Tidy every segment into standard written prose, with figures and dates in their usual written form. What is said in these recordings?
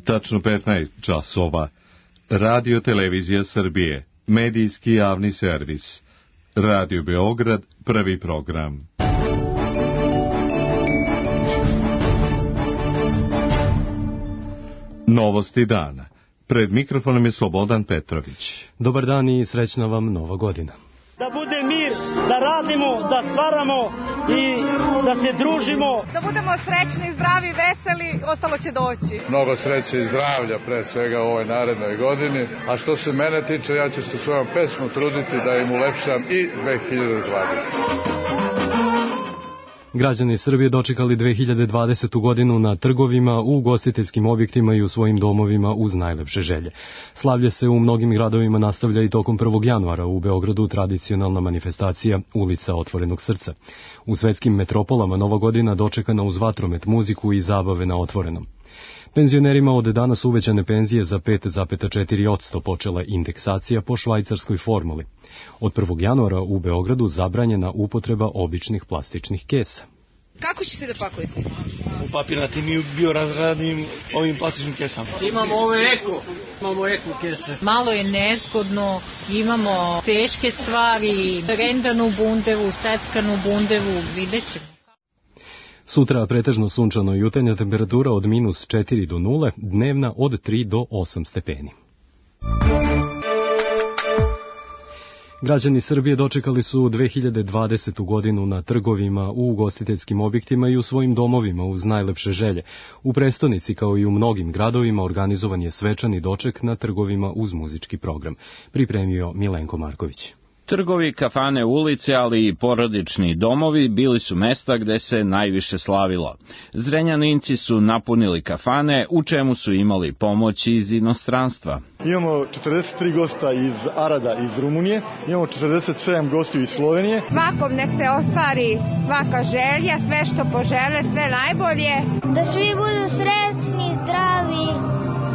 Tačno 15 časova. Radio Televizija Srbije, medijski javni servis. Radio Beograd, prvi program. Novosti dana. Pred mikrofonom je Slobodan Petrović. Dobar dan i srećna vam Nova godina. Da bude mir, da radimo, da stvaramo i da se družimo. Da budemo srećni, zdravi, veseli, ostalo će doći. Mnogo sreće i zdravlja pre svega u ovoj narednoj godini. A što se mene tiče, ja ću se svojom pesmom truditi da im ulepšam i 2020. Građani Srbije dočekali 2020. godinu na trgovima, u ugostiteljskim objektima i u svojim domovima uz najlepše želje. Slavlje se u mnogim gradovima nastavlja i tokom 1. januara. U Beogradu tradicionalna manifestacija Ulica otvorenog srca. U svetskim metropolama Nova godina dočekana uz vatromet, muziku i zabave na otvorenom. Penzionerima od danas uvećane penzije za 5,4%, počela indeksacija po švajcarskoj formuli. Od 1. januara u Beogradu zabranjena upotreba običnih plastičnih kesa. Kako ćete da pakujete? U papirnatim i biorazgradnim ovim plastičnim kesama. Imamo eko kese. Malo je nezgodno, imamo teške stvari, rendanu bundevu, seckanu bundevu, vidjet ćemo. Sutra pretežno sunčano i jutarnja temperatura od -4 do 0, dnevna od 3 do 8 stepeni. Građani Srbije dočekali su 2020. godinu na trgovima, u ugostiteljskim objektima i u svojim domovima uz najlepše želje. U prestonici, kao i u mnogim gradovima, organizovan je svečani doček na trgovima uz muzički program. Pripremio Milenko Marković. Trgovi, kafane, ulice, ali i porodični domovi bili su mesta gde se najviše slavilo. Zrenjaninci su napunili kafane, u čemu su imali pomoć iz inostranstva. Imamo 43 gosta iz Arada iz Rumunije, imamo 47 gostiju iz Slovenije. Svakom nek se ostvari svaka želja, sve što požele, sve najbolje. Da svi budu srećni, zdravi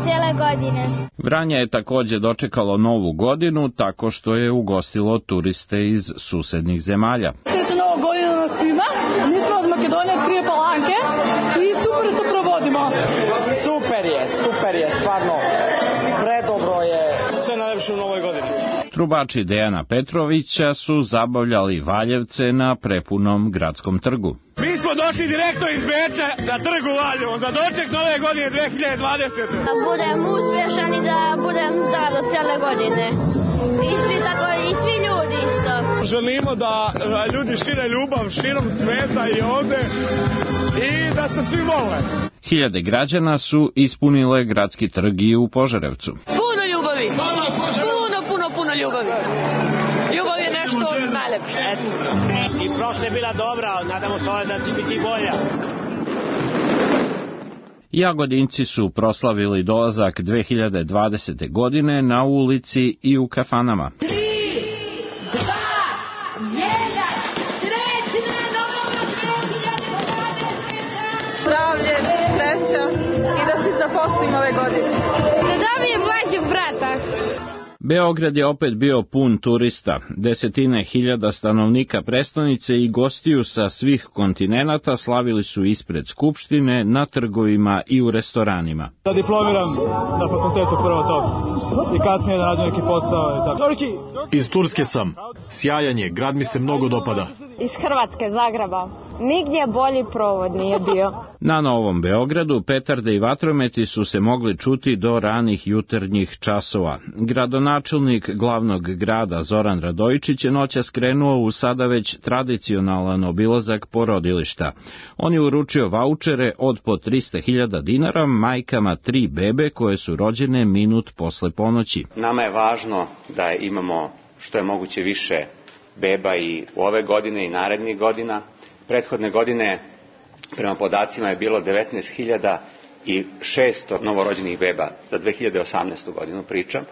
cijele godine. Vranje je takođe dočekalo Novu godinu tako što je ugostilo turiste iz susednih zemalja. Srećna Nova godina na svima. Mi smo od Makedonije, od Krije Palanke i super se provodimo. Super je, stvarno. Predobro je. Sve najlepše u Novoj godini. Trubači Dejana Petrovića su zabavljali Valjevce na prepunom gradskom trgu. Mi smo došli direktno iz Beča na trgu Valjevo za doček Nove godine 2020. Da budem uspješan i da budem zdrav do cijele godine. I svi tako, i svi ljudi isto. Želimo da ljudi šire ljubav širom sveta i ovde i da se svi vole. Hiljade građana su ispunile gradski trg i u Požarevcu. Puno ljubavi! Puno ljubavi! Ljubav je nešto najlepše. I prošla je bila dobra, nadamo se da će biti bolja. Jagodinci su proslavili dolazak 2020. godine na ulici i u kafanama. 3, 2, 1, srećna Nova 2020! Zdravlje, sreća i da se zaposlim ove godine. Da dobijem mlađeg brata. Beograd je opet bio pun turista. Desetine hiljada stanovnika prestonice i gostiju sa svih kontinenata slavili su ispred Skupštine, na trgovima i u restoranima. Da diplomiram na fakultetu prvo to i kasnije da nađem neki posao. Iz Turske sam. Sjajan je, grad mi se mnogo dopada. Iz Hrvatske, Zagreba. Nigdje bolji provod nije bio. Na Novom Beogradu petarde i vatrometi su se mogli čuti do ranih jutarnjih časova. Gradonačelnik glavnog grada Zoran Radojičić je noćas skrenuo u sada već tradicionalan obilazak porodilišta. On je uručio vaučere od po 300.000 dinara majkama 3 bebe koje su rođene minut posle ponoći. Nama je važno da imamo što je moguće više beba i u ove godine i narednih godina. Prethodne godine, prema podacima, je bilo 19.600 novorođenih beba za 2018. godinu pričam.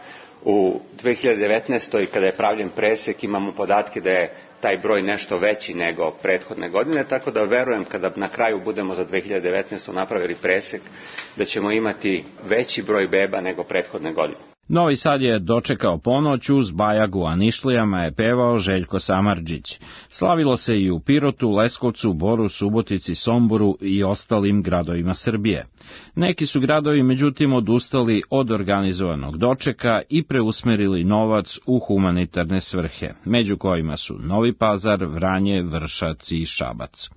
U 2019. kada je pravljen presek imamo podatke da je taj broj nešto veći nego prethodne godine, tako da verujem kada na kraju budemo za 2019. napravili presek da ćemo imati veći broj beba nego prethodne godine. Novi Sad je dočekao ponoć uz bajagu, a Nišlijama je pevao Željko Samardžić. Slavilo se i u Pirotu, Leskovcu, Boru, Subotici, Somboru i ostalim gradovima Srbije. Neki su gradovi međutim odustali od organizovanog dočeka i preusmerili novac u humanitarne svrhe, među kojima su Novi Pazar, Vranje, Vršac i Šabac.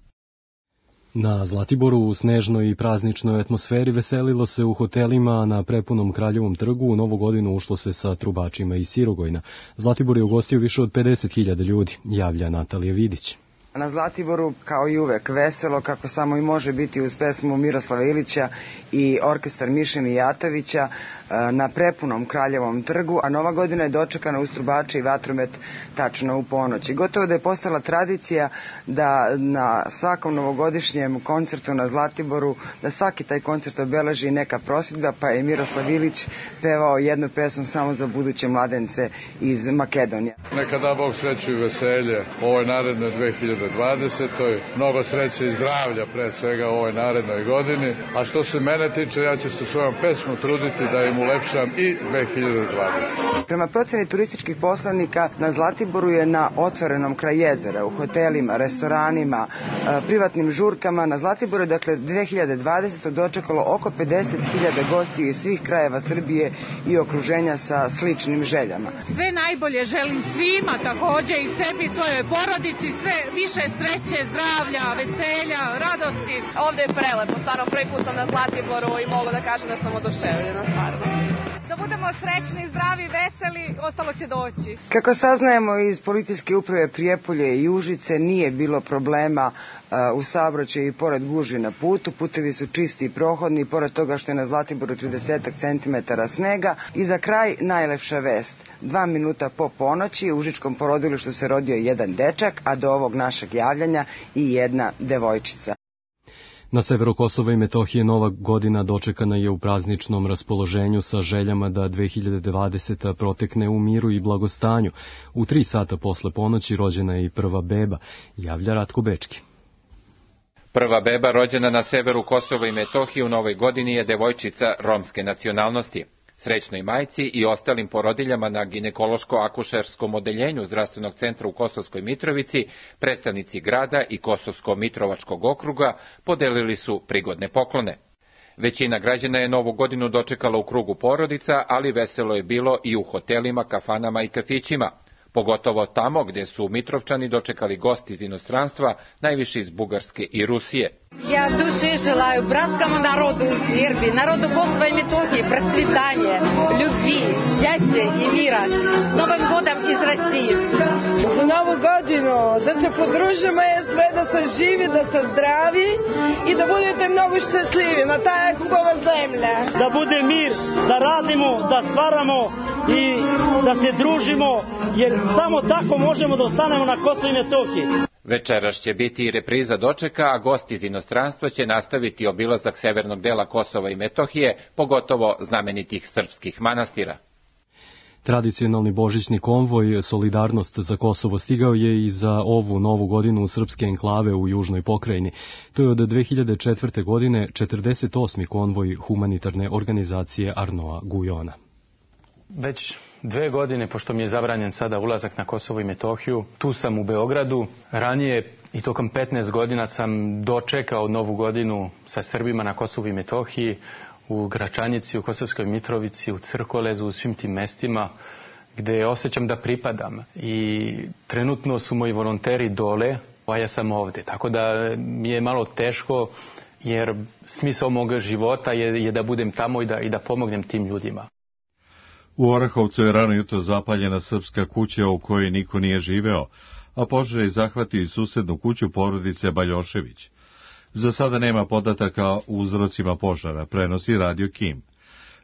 Na Zlatiboru u snežnoj i prazničnoj atmosferi veselilo se u hotelima na prepunom Kraljevom trgu. U Novu godinu ušlo se sa trubačima iz Sirogojna. Zlatibor je ugostio više od 50.000 ljudi, javlja Natalija Vidić. Na Zlatiboru, kao i uvek, veselo, kako samo i može biti uz pesmu Miroslava Ilića i orkestar Miše Mijatovića na prepunom Kraljevom trgu, a Nova godina je dočekana uz trubače i vatromet tačno u ponoć. I gotovo da je postala tradicija da na svakom novogodišnjem koncertu na Zlatiboru, da svaki taj koncert obeleži neka prosvjedba, pa je Miroslav Ilić pevao jednu pesmu samo za buduće mladence iz Makedonije. Neka da Bog sreću i veselje ovoj narednoj 2020. Mnogo sreće i zdravlja pre svega u ovoj narednoj godini, a što se mene tiče, ja ću se svojom pesmom truditi da im ulepšam i 2020. Prema proceni turističkih poslanika, na Zlatiboru je na otvorenom kraj jezera, u hotelima, restoranima, privatnim žurkama. Na Zlatiboru je, dakle, 2020. dočekalo oko 50.000 gostiju iz svih krajeva Srbije i okruženja sa sličnim željama. Sve najbolje želim svima, takođe i sebi, svojoj porodici, sve više sreće, zdravlja, veselja, radosti. Ovde je prelepo, stvarno prvi put sam na Zlatiboru i mogu da kažem da sam oduševljena, stvarno. Da budemo srećni, zdravi, veseli, ostalo će doći. Kako saznajemo iz policijske uprave Prijepolje i Užice, nije bilo problema u saobraćaju i pored gužvi na putu. Putevi su čisti i prohodni, pored toga što je na Zlatiboru 30 cm snega. I za kraj najlepša vest. 2 minuta po ponoći u užičkom porodilištu se rodio jedan dečak, a do ovog našeg javljanja i jedna devojčica. Na severu Kosova i Metohije Nova godina dočekana je u prazničnom raspoloženju sa željama da 2020. protekne u miru i blagostanju. U 3 sata posle ponoći rođena je i prva beba, javlja Ratko Bečki. Prva beba rođena na severu Kosova i Metohije u Novoj godini je devojčica romske nacionalnosti. Srećnoj majci i ostalim porodiljama na ginekološko-akušerskom odeljenju Zdravstvenog centra u Kosovskoj Mitrovici, predstavnici grada i Kosovsko-Mitrovačkog okruga podelili su prigodne poklone. Većina građana je Novu godinu dočekala u krugu porodica, ali veselo je bilo i u hotelima, kafanama i kafićima. Pogotovo tamo gdje su Mitrovčani dočekali gosti iz inostranstva, najviše iz Bugarske i Rusije. Ja duše želaju bratskому narodu u Srbiji, narodu Kosova i Metohije, procvitanje, ljubi, šťastje i mira. S Novim godom iz Rusije. Za Novu godinu da se podružimo je sve, da se živi, da se zdravi i da budete mnogo šťastlivi na taj kubova zemlja. Da bude mir, da radimo, da stvaramo i da se družimo, jer samo tako možemo da ostanemo na Kosovu i Metohiji. Večeras će biti i repriza dočeka, a gosti iz inostranstva će nastaviti obilazak severnog dela Kosova i Metohije, pogotovo znamenitih srpskih manastira. Tradicionalni božićni konvoj Solidarnost za Kosovo stigao je i za ovu Novu godinu u srpske enklave u južnoj pokrajini. To je od 2004. godine 48. konvoj humanitarne organizacije Arnoa Gujona. Već 2 godine, pošto mi je zabranjen sada ulazak na Kosovo i Metohiju, tu sam u Beogradu. Ranije i tokom 15 godina sam dočekao Novu godinu sa Srbima na Kosovu i Metohiji, u Gračanici, u Kosovskoj Mitrovici, u Crkolezu, u svim tim mestima gde osjećam da pripadam. I trenutno su moji volonteri dole, a ja sam ovde. Tako da mi je malo teško, jer smisao moga života je da budem tamo i da pomognem tim ljudima. U Orahovcu je rano jutro zapaljena srpska kuća u kojoj niko nije živeo, a požar je zahvatio i susednu kuću porodice Baljošević. Za sada nema podataka o uzrocima požara, prenosi Radio Kim.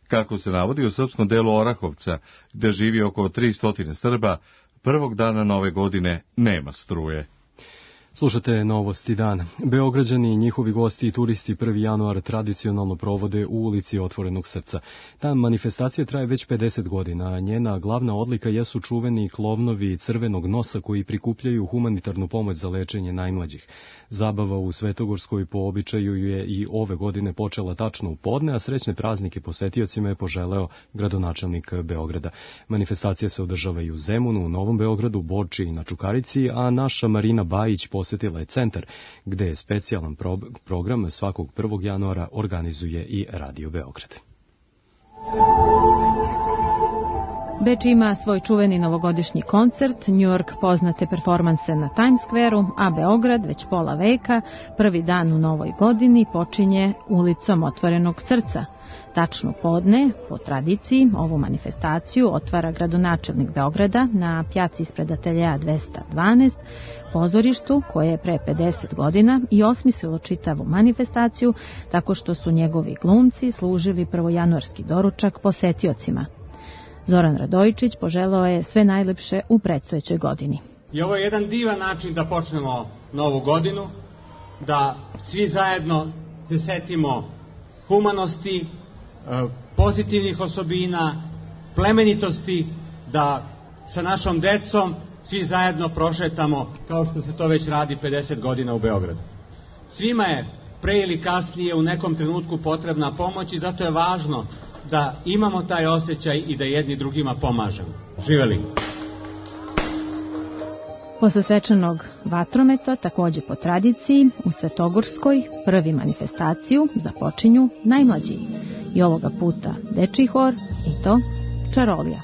Kako se navodi, u srpskom delu Orahovca, gde živi oko 300 Srba, prvog dana Nove godine nema struje. Slušate Novosti dana. Beograđani i njihovi gosti i turisti 1. januar tradicionalno provode u ulici Otvorenog srca. Ta manifestacija traje već 50 godina, a njena glavna odlika jesu čuveni klovnovi crvenog nosa koji prikupljaju humanitarnu pomoć za lečenje najmlađih. Zabava u Svetogorskoj po običaju je i ove godine počela tačno u podne, a srećne praznike posetiocima je poželeo gradonačelnik Beograda. Manifestacija se održava i u Zemunu, u Novom Beogradu, Borči i na Čukarici, a naša Marina Bajić posjetila je centar, gde je specijalan program svakog 1. januara organizuje i Radio Beograd. Beč ima svoj čuveni novogodišnji koncert, New York poznate performanse na Times Square-u, a Beograd već pola veka, prvi dan u novoj godini, počinje ulicom Otvorenog srca. Tačno podne, po tradiciji, ovu manifestaciju otvara gradonačelnik Beograda na pjaci ispred ateljeja 212, pozorištu koje je pre 50 godina i osmislilo čitavu manifestaciju tako što su njegovi glumci služili prvojanuarski doručak posetiocima. Zoran Radojičić poželeo je sve najlepše u predstojećoj godini. I ovo je jedan divan način da počnemo novu godinu, da svi zajedno se setimo humanosti, pozitivnih osobina, plemenitosti, da sa našom decom svi zajedno prošetamo kao što se to već radi 50 godina u Beogradu. Svima je pre ili kasnije u nekom trenutku potrebna pomoć i zato je važno da imamo taj osjećaj i da jedni drugima pomažemo. Živeli! Posle svečanog vatrometa, takođe po tradiciji, u Svetogorskoj prvi manifestaciju započinju najmlađi. I ovoga puta dečiji hor i to Čarolija.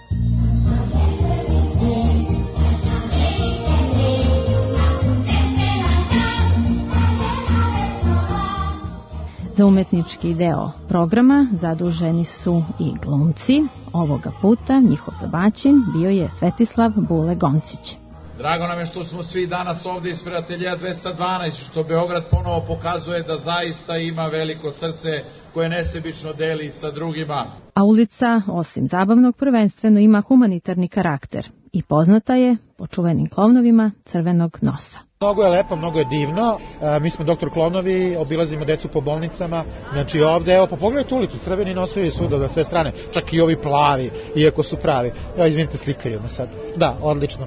Za umetnički deo programa zaduženi su i glumci. Ovoga puta njihov domaćin bio je Svetislav Bule Goncić. Drago nam je što smo svi danas ovde ispred ateljeja 212, što Beograd ponovo pokazuje da zaista ima veliko srce koje nesebično deli sa drugima. A ulica, osim zabavnog, prvenstveno ima humanitarni karakter i poznata je po čuvenim klovnovima crvenog nosa. Mnogo je lepo, mnogo je divno. Mi smo doktor Klovnovi, obilazimo decu po bolnicama. Znači ovde, evo, pa pogledajte ulicu, crveni nosovi svuda na sve strane, čak i ovi plavi, iako su pravi. Evo, izvinite, slikaju me sad. Da, odlično.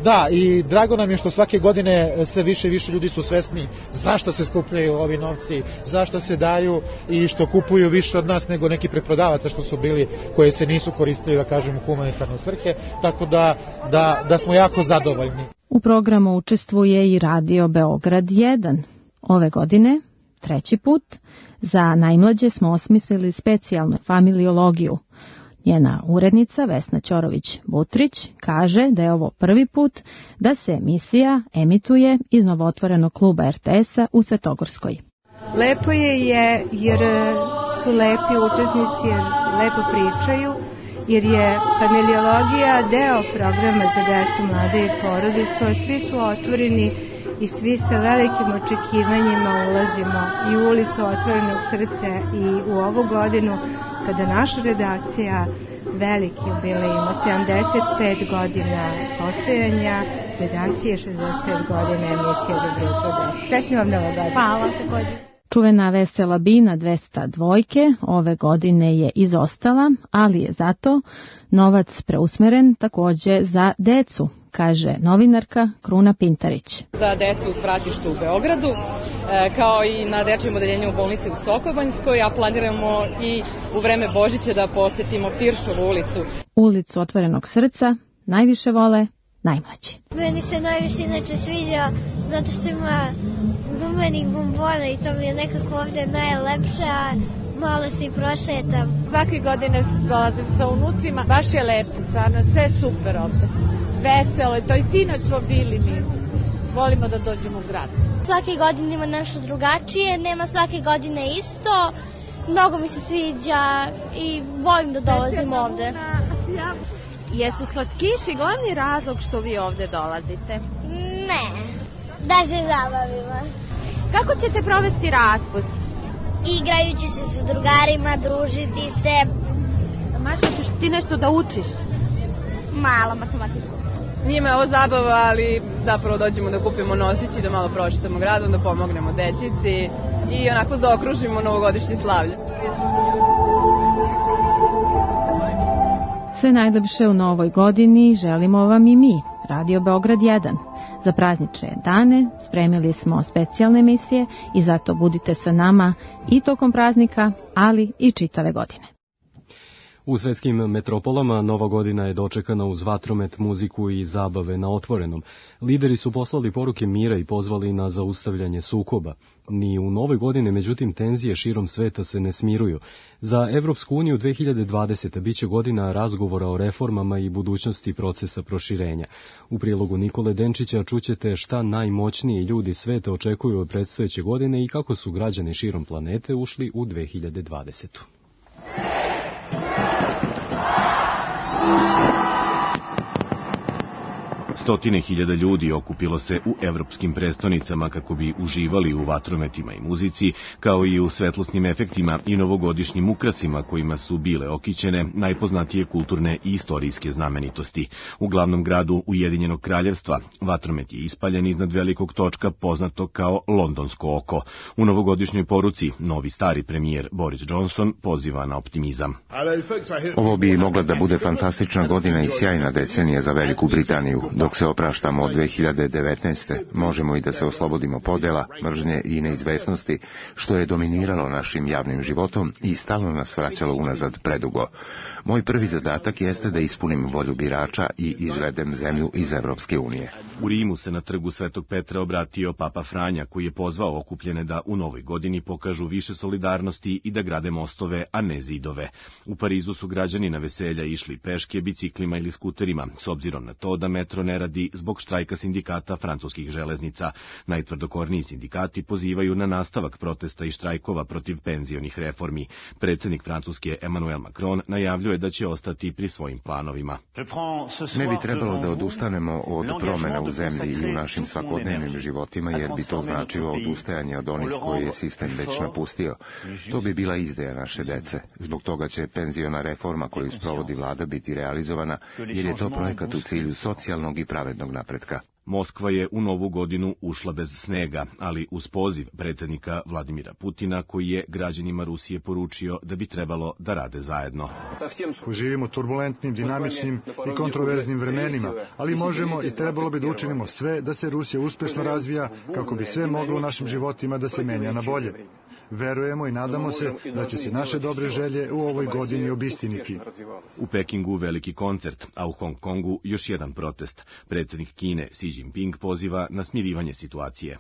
Da, i drago nam je što svake godine sve više i više ljudi su svesni zašto se skupljaju ovi novci, zašto se daju i što kupuju više od nas nego neki preprodavaca što su bili, koje se nisu koristili, da kažem, u humanitarne svrhe. Tako da smo jako zadovoljni. U programu učestvuje i Radio Beograd 1. Ove godine, 3. put, za najmlađe smo osmislili specijalnu familiologiju. Njena urednica Vesna Ćorović-Butrić kaže da je ovo prvi put da se emisija emituje iz novootvorenog kluba RTS-a u Svetogorskoj. Lepo je jer su lepi učesnici, jer lepo pričaju, jer je familiologija deo programa za decu, mlade i porodicu, a svi su otvoreni i svi sa velikim očekivanjima ulazimo i u ulicu Otvorenog srca i u ovu godinu kada naša redakcija veliki jubilej ima 75 godina postojanja, redakcije 65 godina emisije Dobro jutro deca. Srećni vam Nova godina. Hvala također. Čuvena vesela bina 202 ove godine je izostala, ali je zato novac preusmeren takođe za decu, kaže novinarka Kruna Pintarić. Za decu u svratištu u Beogradu, kao i na dečijem odeljenju u bolnici u Sokobanjskoj, a planiramo i u vreme Božića da posetimo Tiršovu ulicu. Ulicu Otvorenog srca najviše vole najmlađi. Meni se najviše inače sviđa zato što ima gumenih bombona i to mi je nekako ovde najlepše, a malo se i prošetam. Svake godine dolazim sa unucima, baš je lepo, stvarno, sve super ovde. Veselo je to i sinoć smo bili mi. Volimo da dođemo u grad. Svake godine ima nešto drugačije, nema svake godine isto. Mnogo mi se sviđa i volim da dolazim ovde. Jesu slatkiši glavni razlog što vi ovde dolazite? Ne, da se zabavimo. Kako ćete provesti raspust? Igrajući se sa drugarima, družiti se. Maša, ćeš ti nešto da učiš? Malo matematiku. Nije me ovo zabava, ali zapravo dođemo da kupimo nosić i da malo prošetamo gradom, da pomognemo dečici i onako zaokružimo novogodišnje slavlje. Sve najlepše u novoj godini želimo vam i mi, Radio Beograd 1. Za praznične dane spremili smo specijalne emisije i zato budite sa nama i tokom praznika, ali i čitave godine. U svetskim metropolama Nova godina je dočekana uz vatromet, muziku i zabave na otvorenom. Lideri su poslali poruke mira i pozvali na zaustavljanje sukoba. Ni u Novoj godini, međutim, tenzije širom sveta se ne smiruju. Za Evropsku uniju 2020. biće godina razgovora o reformama i budućnosti procesa proširenja. U prilogu Nikole Denčića čućete šta najmoćniji ljudi sveta očekuju od predstojeće godine i kako su građani širom planete ušli u 2020. Stotine hiljada ljudi okupilo se u evropskim prestonicama kako bi uživali u vatrometima i muzici, kao i u svetlosnim efektima i novogodišnjim ukrasima kojima su bile okićene najpoznatije kulturne i istorijske znamenitosti. U glavnom gradu Ujedinjenog kraljevstva vatromet je ispaljen iznad velikog točka poznatog kao Londonsko oko. U novogodišnjoj poruci novi stari premijer Boris Johnson poziva na optimizam. Ovo bi mogla da bude fantastična godina i sjajna decenija za Veliku Britaniju. Dok se opraštamo od 2019. možemo i da se oslobodimo podela, mržnje i neizvesnosti, što je dominiralo našim javnim životom i stalno nas vraćalo unazad predugo. Moj prvi zadatak jeste da ispunim volju birača i izvedem zemlju iz Evropske unije. U Rimu se na trgu Svetog Petra obratio Papa Franja, koji je pozvao okupljene da u novoj godini pokažu više solidarnosti i da grade mostove, a ne zidove. U Parizu su građani na veselja išli peške, biciklima ili skuterima, s obzirom na to da metro ne radi zbog štrajka sindikata francuskih železnica. Najtvrdokorniji sindikati pozivaju na nastavak protesta i štrajkova protiv penzionih reformi. Predsjednik Francuske Emmanuel Macron najavljuje da će ostati pri svojim planovima. Ne bi trebalo da odustanemo od promjena u zemlji i u našim svakodnevnim životima, jer bi to značilo odustajanje od onih koje je sistem već napustio. To bi bila izdaja naše dece. Zbog toga će penziona reforma koju sprovodi vlada biti realizovana, jer je to projekat u cilju socijalnog i pravednog napretka. Moskva je u novu godinu ušla bez snega, ali uz poziv predsjednika Vladimira Putina, koji je građanima Rusije poručio da bi trebalo da rade zajedno. Živimo turbulentnim, dinamičnim i kontroverznim vremenima, ali možemo i trebalo bi da učinimo sve da se Rusija uspešno razvija kako bi sve moglo u našim životima da se menja na bolje. Verujemo i nadamo se da će se naše dobre želje u ovoj godini obistiniti. U Pekingu veliki koncert, a u Hong Kongu još jedan protest. Predsjednik Kine Xi Jinping poziva na smirivanje situacije.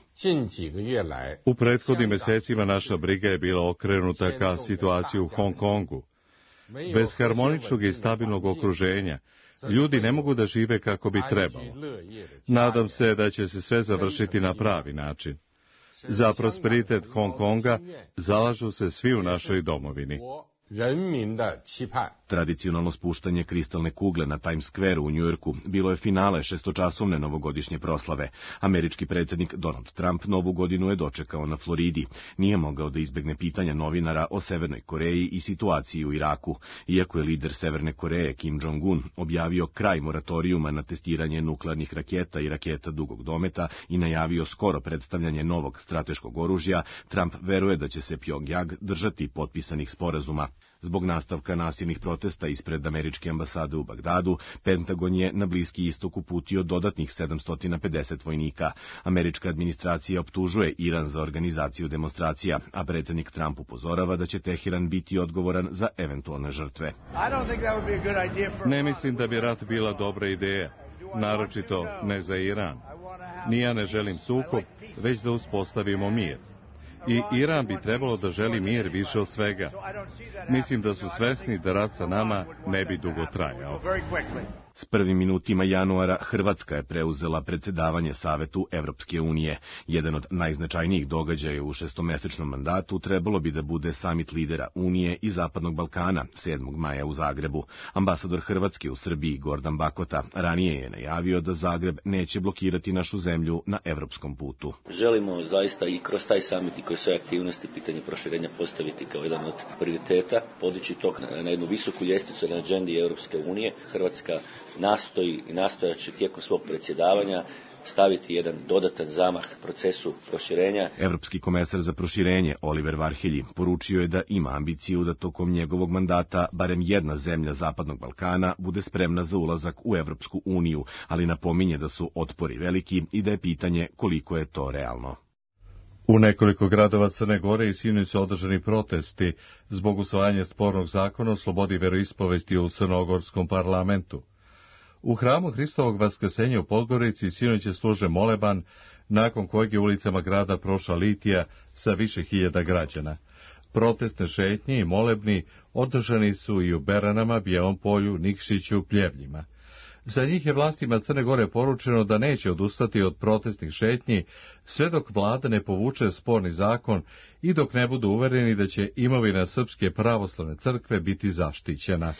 U prethodnim mesecima naša briga je bila okrenuta ka situaciji u Hong Kongu. Bez harmoničnog i stabilnog okruženja ljudi ne mogu da žive kako bi trebalo. Nadam se da će se sve završiti na pravi način. Za prosperitet Hong Konga zalažu se svi u našoj domovini. Tradicionalno spuštanje kristalne kugle na Times Square u Njujorku bilo je finale šestočasovne novogodišnje proslave. Američki predsjednik Donald Trump novu godinu je dočekao na Floridi. Nije mogao da izbegne pitanja novinara o Severnoj Koreji i situaciji u Iraku. Iako je lider Severne Koreje Kim Jong-un objavio kraj moratorijuma na testiranje nuklearnih raketa i raketa dugog dometa i najavio skoro predstavljanje novog strateškog oružja, Trump veruje da će se Pjongjang držati potpisanih sporazuma. Zbog nastavka nasilnih protesta ispred američke ambasade u Bagdadu, Pentagon je na Bliski istok uputio dodatnih 750 vojnika. Američka administracija optužuje Iran za organizaciju demonstracija, a predsjednik Trump upozorava da će Teheran biti odgovoran za eventualne žrtve. Ne mislim da bi rat bila dobra ideja, naročito ne za Iran. Ni ja ne želim sukob, već da uspostavimo mir. I Iran bi trebalo da želi mir više od svega. Mislim da su svesni da rat sa nama ne bi dugo trajao. S prvim minutima januara Hrvatska je preuzela predsjedavanje Savetu Evropske unije. Jedan od najznačajnijih događaja u šestomesečnom mandatu trebalo bi da bude samit lidera Unije i Zapadnog Balkana 7. maja u Zagrebu. Ambasador Hrvatske u Srbiji Gordan Bakota ranije je najavio da Zagreb neće blokirati našu zemlju na evropskom putu. Želimo zaista i kroz taj samit i kroz sve aktivnosti pitanje proširenja postaviti kao jedan od prioriteta, podići to na jednu visoku ljestvicu na agendi Europske unije. Hrvatska nastoji i nastojaće tijekom svog predsjedavanja staviti jedan dodatan zamah procesu proširenja. Evropski komesar za proširenje Oliver Varhelji poručio je da ima ambiciju da tokom njegovog mandata barem jedna zemlja Zapadnog Balkana bude spremna za ulazak u Evropsku uniju, ali napominje da su otpori veliki i da je pitanje koliko je to realno. U nekoliko gradova Crne Gore i sinoć su održani protesti zbog usvajanja spornog zakona o slobodi veroispovesti u crnogorskom parlamentu. U hramu Hristovog vaskrsenja u Podgorici sinoć je služen moleban, nakon kojeg je ulicama grada prošla litija sa više hiljada građana. Protestne šetnje i molebni održani su i u Beranama, Bijelom Polju, Nikšiću, Pljevljima. Za njih je vlastima Crne Gore poručeno da neće odustati od protestnih šetnji sve dok vlada ne povuče sporni zakon i dok ne budu uvereni da će imovina Srpske pravoslavne crkve biti zaštićena.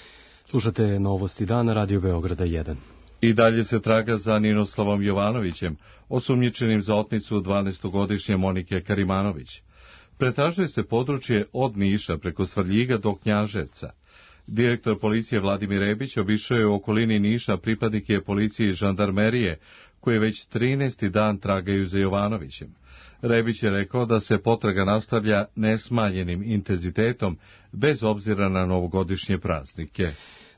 Slušate Novosti dana, Radio Beograda 1. I dalje se traga za Ninoslavom Jovanovićem, osumnjičenim za otmicu 12-godišnje Monike Karimanović. Pretražuje se područje od Niša preko Svrljiga do Knjaževca. Direktor policije Vladimir Rebić obišao je u okolini Niša pripadnike policije i žandarmerije, koje već 13. dan tragaju za Jovanovićem. Rebić je rekao da se potraga nastavlja nesmanjenim intenzitetom, bez obzira na novogodišnje praznike.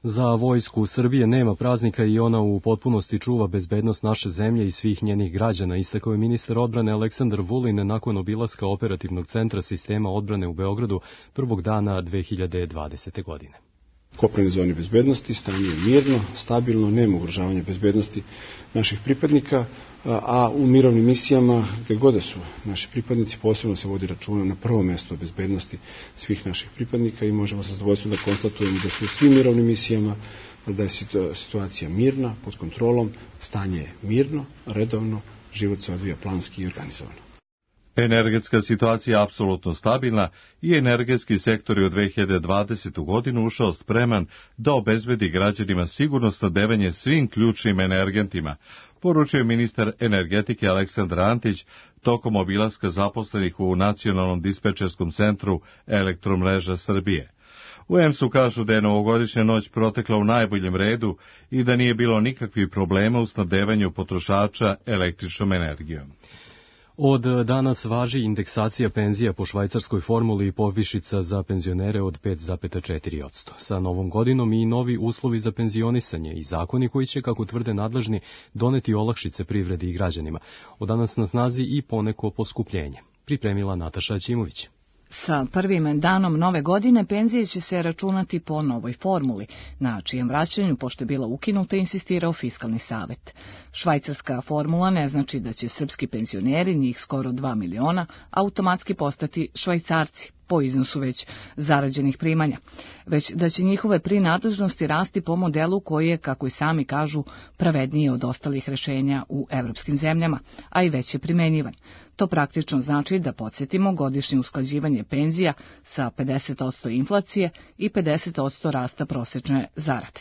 Za vojsku Srbije nema praznika i ona u potpunosti čuva bezbednost naše zemlje i svih njenih građana, istakao je ministar odbrane Aleksandar Vulin nakon obilaska operativnog centra sistema odbrane u Beogradu prvog dana 2020. godine. Kopnene zone bezbednosti, stanje je mirno, stabilno, nema ugrožavanja bezbednosti naših pripadnika, a u mirovnim misijama, gde god su naši pripadnici, posebno se vodi računa na prvo mesto o bezbednosti svih naših pripadnika i možemo sa zadovoljstvom da konstatujemo da su u svim mirovnim misijama, da je situacija mirna, pod kontrolom, stanje je mirno, redovno, život se odvija planski i organizovano. Energetska situacija je apsolutno stabilna i energetski sektor je u 2020. godinu ušao spreman da obezbedi građanima sigurno snabdevanje svim ključnim energentima, poručuje ministar energetike Aleksandar Antić tokom obilaska zaposlenih u Nacionalnom dispečerskom centru Elektromreža Srbije. U EMS-u kažu da je novogodišnja noć protekla u najboljem redu i da nije bilo nikakvih problema u snabdevanju potrošača električnom energijom. Od danas važi indeksacija penzija po švajcarskoj formuli i povišica za penzionere od 5,4%. Sa novom godinom i novi uslovi za penzionisanje i zakoni koji će, kako tvrde nadležni, doneti olakšice privredi i građanima. Od danas na snazi i poneko poskupljenje. Pripremila Nataša Ćimović. Sa prvim danom nove godine penzije će se računati po novoj formuli, na čijem vraćanju, pošto je bila ukinuta, insistirao Fiskalni savet. Švajcarska formula ne znači da će srpski penzioneri, njih skoro 2 miliona, automatski postati Švajcarci po iznosu već zarađenih primanja, već da će njihove prinadležnosti rasti po modelu koji je, kako i sami kažu, pravedniji od ostalih rešenja u evropskim zemljama, a i već je primenjivan. To praktično znači da podsjetimo godišnje usklađivanje penzija sa 50% inflacije i 50% rasta prosečne zarade.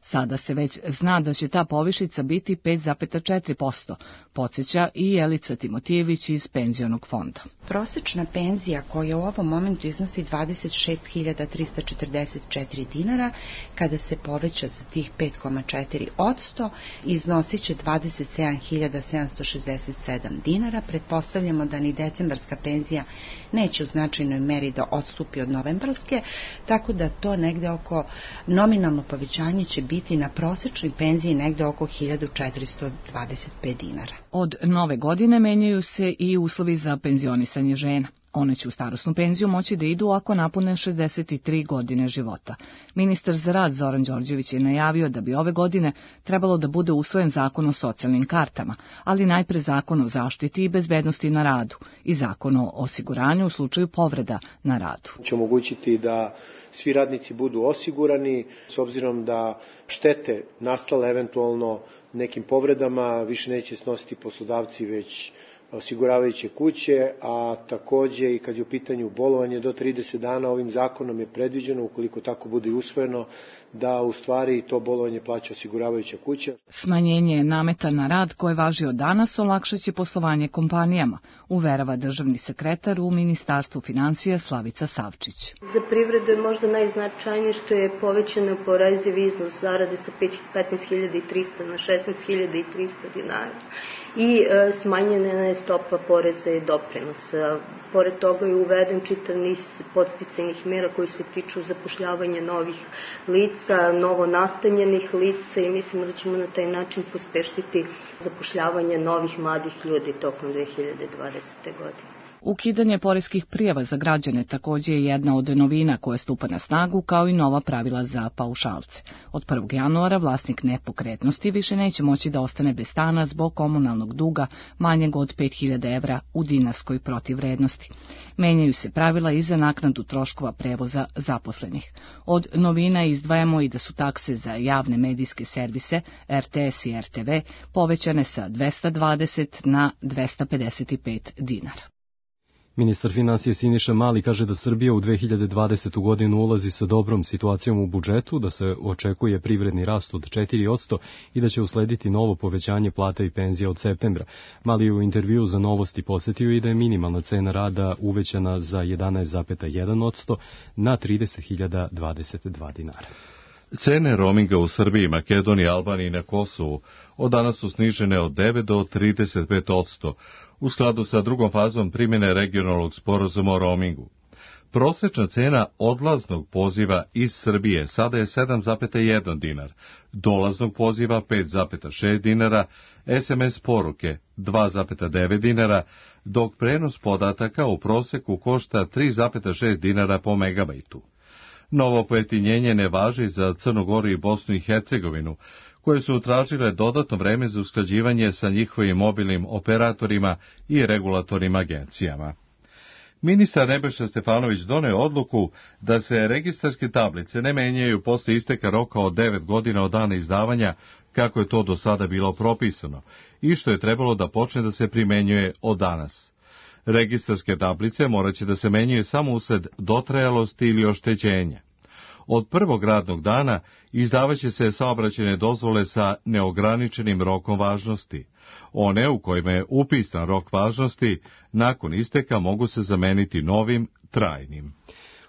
Sada se već zna da će ta povišica biti 5,4%, podsjeća i Jelica Timotijević iz Penzionog fonda. Prosečna penzija koja u ovom momentu iznosi 26.344 dinara, kada se poveća za tih 5,4%, iznosit će 27.767 dinara. Pretpostavljamo da ni decembarska penzija neće u značajnoj meri da odstupi od novembarske, tako da to negde oko nominalno povećanje će biti na prosečnoj penziji negde oko 1425 dinara. Od nove godine menjaju se i uslovi za penzionisanje žena. One će u starosnu penziju moći da idu ako napune 63 godine života. Ministar za rad Zoran Đorđević je najavio da bi ove godine trebalo da bude usvojen zakon o socijalnim kartama, ali najpre zakon o zaštiti i bezbednosti na radu i zakon o osiguranju u slučaju povreda na radu. Će omogućiti da svi radnici budu osigurani, s obzirom da štete nastale eventualno nekim povredama više neće snositi poslodavci, već osiguravajuće kuće, a takođe i kad je u pitanju bolovanje do 30 dana, ovim zakonom je predviđeno, ukoliko tako bude i usvojeno, da u stvari to bolovanje plaća osiguravajuća kuća. Smanjenje nameta na rad koje važi od danas olakšaće poslovanje kompanijama, uverava državni sekretar u Ministarstvu finansija Slavica Savčić. Za privredu je možda najznačajnije što je povećan oporezivi iznos zarade sa 15.300 na 16.300 dinara. i smanjena je stopa poreza i doprinosa. Pored toga je uveden čitav niz podsticajnih mera koji se tiču zapošljavanja novih lica, novo nastanjenih lica i mislimo da ćemo na taj način pospešiti zapošljavanje novih mladih ljudi tokom 2020. godine. Ukidanje poreskih prijava za građane također je jedna od novina koja stupa na snagu, kao i nova pravila za paušalce. Od 1. januara vlasnik nepokretnosti više neće moći da ostane bez stana zbog komunalnog duga manjeg od 5.000 evra u dinarskoj protivvrednosti. Menjaju se pravila i za naknadu troškova prevoza zaposlenih. Od novina izdvajamo i da su takse za javne medijske servise, RTS i RTV, povećane sa 220 na 255 dinara. Ministar finansija Siniša Mali kaže da Srbija u 2020. godinu ulazi sa dobrom situacijom u budžetu, da se očekuje privredni rast od 4% i da će uslediti novo povećanje plata i penzija od septembra. Mali je u intervju za Novosti podsjetio i da je minimalna cena rada uvećana za 11,1% na 30.022 dinara. Cene roaminga u Srbiji, Makedoniji, Albaniji i na Kosovu od danas su snižene od 9 do 35%, u skladu sa drugom fazom primjene regionalnog sporazuma o roamingu. Prosječna cena odlaznog poziva iz Srbije sada je 7,1 dinar, dolaznog poziva 5,6 dinara, SMS poruke 2,9 dinara, dok prenos podataka u prosjeku košta 3,6 dinara po megabajtu. Novo pojeftinjenje ne važi za Crnu Goru i Bosnu i Hercegovinu, koje su tražile dodatno vreme za usklađivanje sa njihovim mobilnim operatorima i regulatornim agencijama. Ministar Nebojša Stefanović doneo odluku da se registarske tablice ne menjaju posle isteka roka od 9 godina od dana izdavanja, kako je to do sada bilo propisano, i što je trebalo da počne da se primenjuje od danas. Registarske tablice moraće da se menjaju samo usled dotrajalosti ili oštećenja. Od prvog radnog dana izdavaće se saobraćajne dozvole sa neograničenim rokom važnosti. One u kojima je upisan rok važnosti, nakon isteka mogu se zameniti novim, trajnim.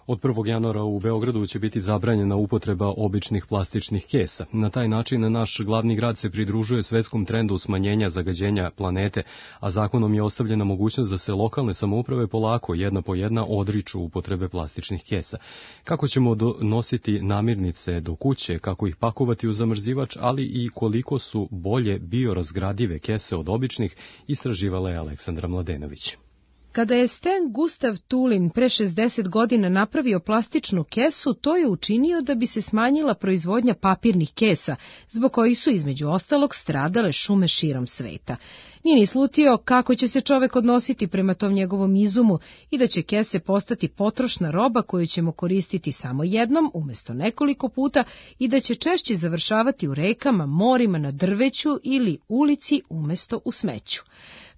Od 1. januara u Beogradu će biti zabranjena upotreba običnih plastičnih kesa. Na taj način naš glavni grad se pridružuje svetskom trendu smanjenja zagađenja planete, a zakonom je ostavljena mogućnost da se lokalne samouprave polako, jedna po jedna, odriču upotrebe plastičnih kesa. Kako ćemo nositi namirnice do kuće, kako ih pakovati u zamrzivač, ali i koliko su bolje biorazgradive kese od običnih, istraživala je Aleksandra Mladenović. Kada je Sten Gustav Tulin pre 60 godina napravio plastičnu kesu, to je učinio da bi se smanjila proizvodnja papirnih kesa, zbog kojih su između ostalog stradale šume širom sveta. Nije ni slutio kako će se čovek odnositi prema tom njegovom izumu i da će kese postati potrošna roba koju ćemo koristiti samo jednom umesto nekoliko puta i da će češće završavati u rekama, morima, na drveću ili ulici umesto u smeću.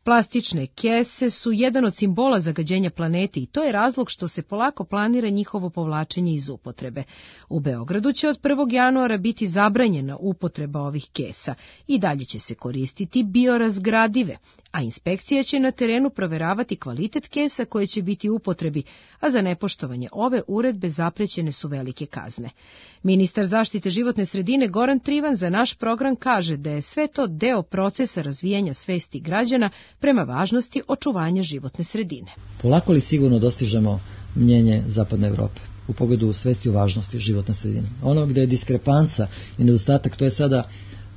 Plastične kese su jedan od simbola zagađenja planete i to je razlog što se polako planira njihovo povlačenje iz upotrebe. U Beogradu će od 1. januara biti zabranjena upotreba ovih kesa i dalje će se koristiti biorazgradive, a inspekcija će na terenu proveravati kvalitet kesa koje će biti u upotrebi, a za nepoštovanje ove uredbe zaprećene su velike kazne. Ministar zaštite životne sredine Goran Trivan za naš program kaže da je sve to deo procesa razvijanja svesti građana prema važnosti očuvanja životne sredine. Polako li sigurno dostižemo mnjenje Zapadne Evrope u pogledu svesti o važnosti životne sredine? Ono gde je diskrepanca i nedostatak, to je sada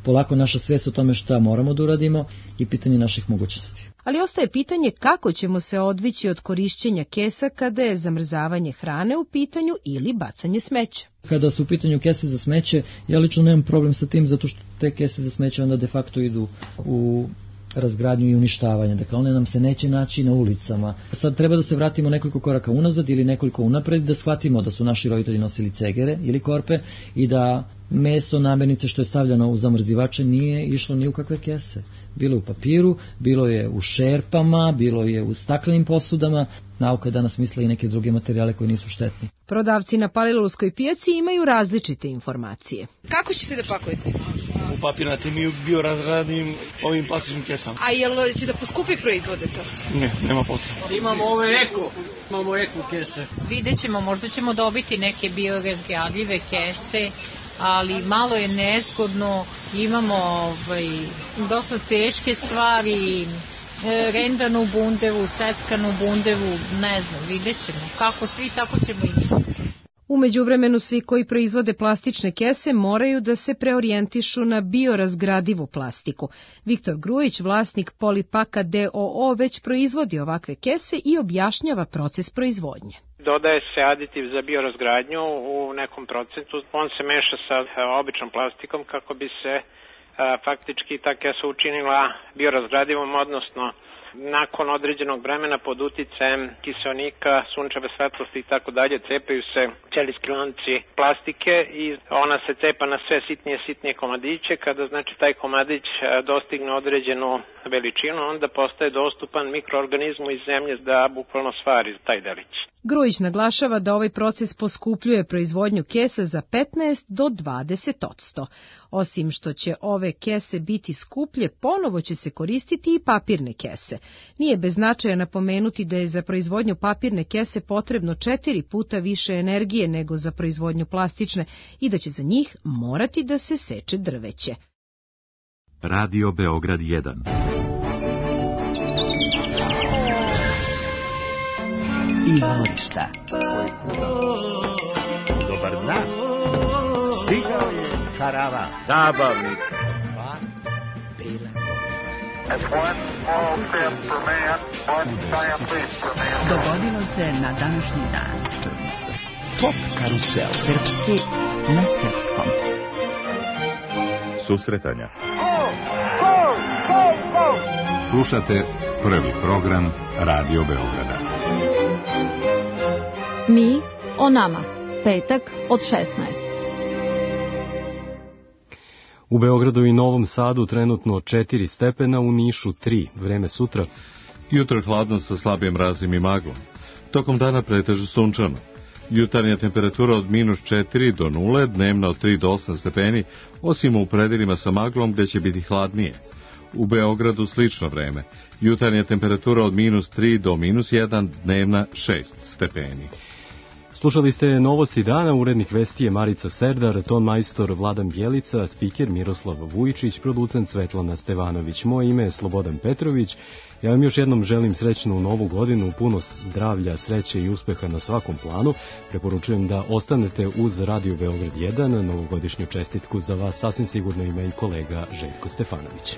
polako naša svest o tome šta moramo da uradimo i pitanje naših mogućnosti. Ali ostaje pitanje kako ćemo se odvići od korišćenja kesa kada je zamrzavanje hrane u pitanju ili bacanje smeća. Kada su u pitanju kese za smeće, ja lično nemam problem sa tim, zato što te kese za smeće onda de facto idu u razgradnju i uništavanje. Dakle, one nam se neće naći na ulicama. Sad treba da se vratimo nekoliko koraka unazad ili nekoliko unapred, da shvatimo da su naši roditelji nosili cegere ili korpe i da meso, namirnice što je stavljano u zamrzivače nije išlo ni u kakve kese. Bilo je u papiru, bilo je u šerpama, bilo je u staklenim posudama. Nauka je danas misle i neke druge materijale koji nisu štetni. Prodavci na Palilulskoj pijaci imaju različite informacije. Kako ćete da pakujete? U papirnatim i biorazgradivim ovim plastičnim kesama. A jel će da poskupi proizvode to? Ne, nema potrebe. Imamo eko kese. Vidjet ćemo, možda ćemo dobiti neke biorazgradive kese ali malo je nezgodno, imamo dosta teške stvari, rendanu bundevu, seckanu bundevu, ne znam, vidjet ćemo. Kako svi, tako ćemo i mi. U međuvremenu svi koji proizvode plastične kese moraju da se preorijentišu na biorazgradivu plastiku. Viktor Grujić, vlasnik Polipaka d.o.o. već proizvodi ovakve kese i objašnjava proces proizvodnje. Dodaje se aditiv za biorazgradnju u nekom procentu. On se meša sa običnom plastikom kako bi se faktički ta kesa učinila biorazgradivom, odnosno nakon određenog vremena pod uticajem kiseonika, sunčeve svetlosti i tako dalje cepaju se ćelijski lanci plastike i ona se cepa na sve sitnije komadiće. Kada znači taj komadić dostigne određenu veličinu, onda postaje dostupan mikroorganizmu iz zemlje da bukvalno stvari taj delić. Grujić naglašava da ovaj proces poskupljuje proizvodnju kesa za 15 do 20%. Osim što će ove kese biti skuplje, ponovo će se koristiti i papirne kese. Nije bez značaja napomenuti da je za proizvodnju papirne kese potrebno 4 puta više energije nego za proizvodnju plastične i da će za njih morati da se seče drveće. Radio Beograd 1. Izvorišta. Dobar dan. Stigao je karavan. Zabavnik. Dogodilo se na današnji dan. Pop karusel. Srpski na srpskom. Susretanja. Slušate prvi program Radio Beograda. Mi o nama. Petak od 16. U Beogradu i Novom Sadu trenutno 4 stepena, u Nišu 3. Vreme sutra. Jutro hladno sa slabim mrazom i maglom. Tokom dana pretežno sunčano. Jutarnja temperatura od -4 do 0, dnevna od 3 do 8 stepeni, osim u predelima sa maglom gde će biti hladnije. U Beogradu slično vreme. Jutarnja temperatura od -3 do -1, dnevna 6 stepeni. Slušali ste novosti dana, urednik vesti je Marica Serdar, ton majstor Vladan Bjelica, spiker Miroslav Vujičić, producent Svetlana Stevanović. Moje ime je Slobodan Petrović. Ja vam još jednom želim srećnu novu godinu, puno zdravlja, sreće i uspeha na svakom planu. Preporučujem da ostanete uz Radio Beograd 1, novogodišnju čestitku za vas sasvim sigurno ima i kolega Željko Stefanović.